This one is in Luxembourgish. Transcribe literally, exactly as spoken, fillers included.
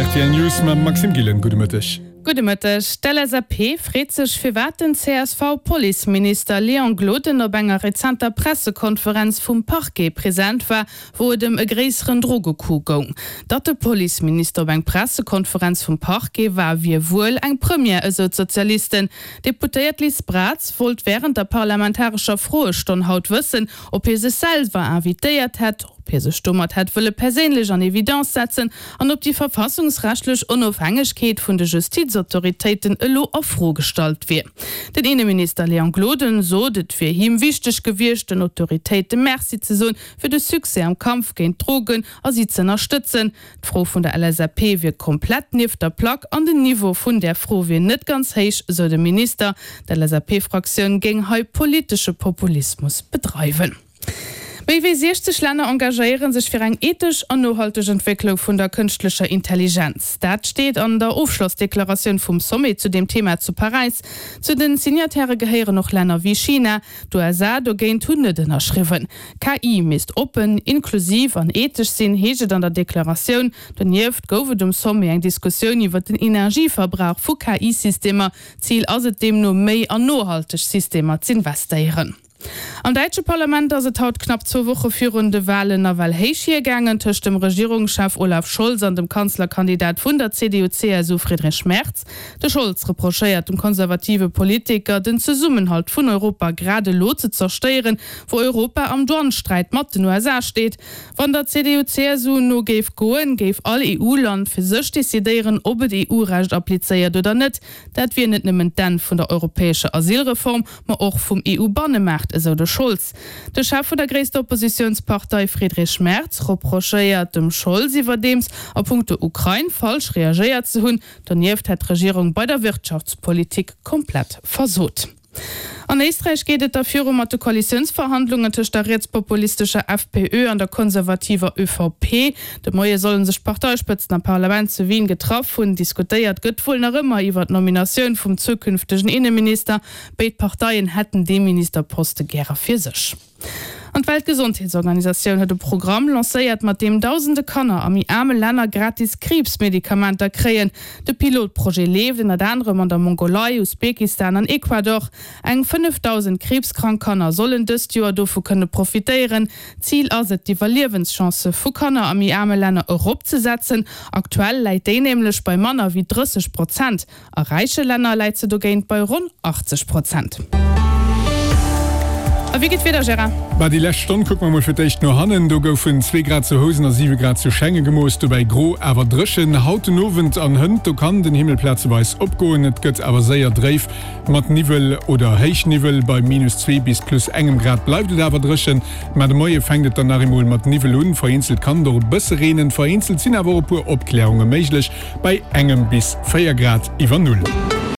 Rtl News mam Maxime Gillen. Gudde Mëtteg. Gudde Mëtteg. D'LSAP freet sech, firwat den CSV-Policeminister Léon Gloden op enger rezenter Pressekonferenz vum Parquet present war, wou et ëm e gréisseren Drogecoup goung. Datt de Policeminister op eng Pressekonferenz vum Parquet war, wier wuel eng Première, esou d'Sozialisten. D'Deputéiert Liz Braz wollt wärend der parlamentarescher Froestonn haut wëssen, ob hie sech selwer invitéiert hätt, ob hie sech domat hätt wëlle perséinlech an Evidence setzen an ob déi verfassungsrechtlech Onofhängegkeet vun de Justizautoritéiten elo a Fro gestallt wier. Den Inneminister Léon Gloden sot, et wier him wichteg gewiescht, den Autoritéite Merci ze soen fir de Succès am Kampf géint d'Drogen a si z'ënnerstëtzen. D'Fro vun der LSAP wier komplett nieft der Plack an den Niveau vun där Fro wier net ganz héich, sou de Minister. D'LSAP-Fraktioun géing hei politesche Populismus bedreiwen. Méi wéi siechzeg Länner engagéiere sech fir eng ethesch an nohalteg Entwécklung vun der kënschtlecher Intelligenz. Dat steet an der Ofschlossdeklaratioun vum Sommet zu deem Thema zu Paräis. Zu den Signataire gehéieren och Länner wéi China. D'USA dogéint hunn net ënnerschriwwen. KI misst oppen, inklusiv an ethesch sinn, heescht et an der Deklaratioun. Donieft gouf et um Sommet eng Diskussioun iwwer den Energieverbrauch vu KI-Systemer. Zil ass et deemno, méi an nohalteg Systemer z'investéieren. Am däitsche Parlament ass et haut knapp zwou Woche virun de Walen nawell héich hiergaangen tëscht dem Regierungschef Olaf Scholz an dem Kanzlerkandidat vun der CDU-CSU Friedrich Merz. De Scholz reprochéiert dem konservative Politiker, den Zesummenhalt vun Europa grad elo ze zerstéieren, wou Europa am Douane-Sträit mat den USA steet. Wann der CDU-CSU no géif goen, géif all EU-Land fir sech decidéieren, ob et EU-Recht applizéiert oder net. Dat wier net nëmmen d'Enn vun der europäescher Asylreform, ma och vum EU-Bannemaart, esou de Scholz. De Chef vun der gréisster Oppositiounspartei Friedrich Merz reprochéiert dem Scholz iwwerdeems, a punkto Ukrain falsch reagéiert ze hunn. Donieft hätt d'Regierung bei der Wirtschaftspolitik komplett versot. An Éisträich geet et da viru mat de Koalitiounsverhandlungen tëscht der rietspopulistescher FPÖ an der konservativer ÖVP. De Moie solle sech d'Parteispëtzen am Parlament zu Wien getraff hunn. Diskutéiert gëtt wuel nach ëmmer iwwer d'Nominatioun vum zukünftegen Inneminister. Béid Parteien hätten dee Ministerposte gäre fir sech. An d'Weltgesondheetsorganisatioun huet e Programm lancéiert, mat deem dausende Kanner a méi aarme Länner gratis Kriibsmedikamenter kréien. De Pilotprojet leeft ënnert anerem an der Mongolei, Usbekistan an Ecuador. Eng fënnefdausend kriibskrank Kanner sollen dëst Joer dovu kënne profitéieren. Zil ass et, d'Iwwerliewenschance vu Kanner a méi aarme Länner eropzesetzen. Aktuell läit déi nämlech bei manner wéi drësseg Prozent. A räiche Länner läit se dogéint bei ronn achtzeg Prozent. A wéi geet d'Wieder, Gérard? Bah, déi lescht Stonn kucke mer mol fir d'éischt no hannen. Do goufen zwee Grad zu Housen a siwe Grad zu Schengen gemooss, dobäi gro awer dréchen. Haut den Owend an hënt, do kann den Himmel plazeweis opgoen, et gëtt awer séier dréif mat Niwwel oder Héichniwwel. Bei minus zwee bis plus engem Grad bleift et awer dréchen, ma de Moie fänkt et dann nach eemol mat Niwwel un. Vereenzelt kann et och e bësse reenen, vereenzelt sinn awer och e puer Opklärunge méiglech bei engem bis véier Grad iwwer Null.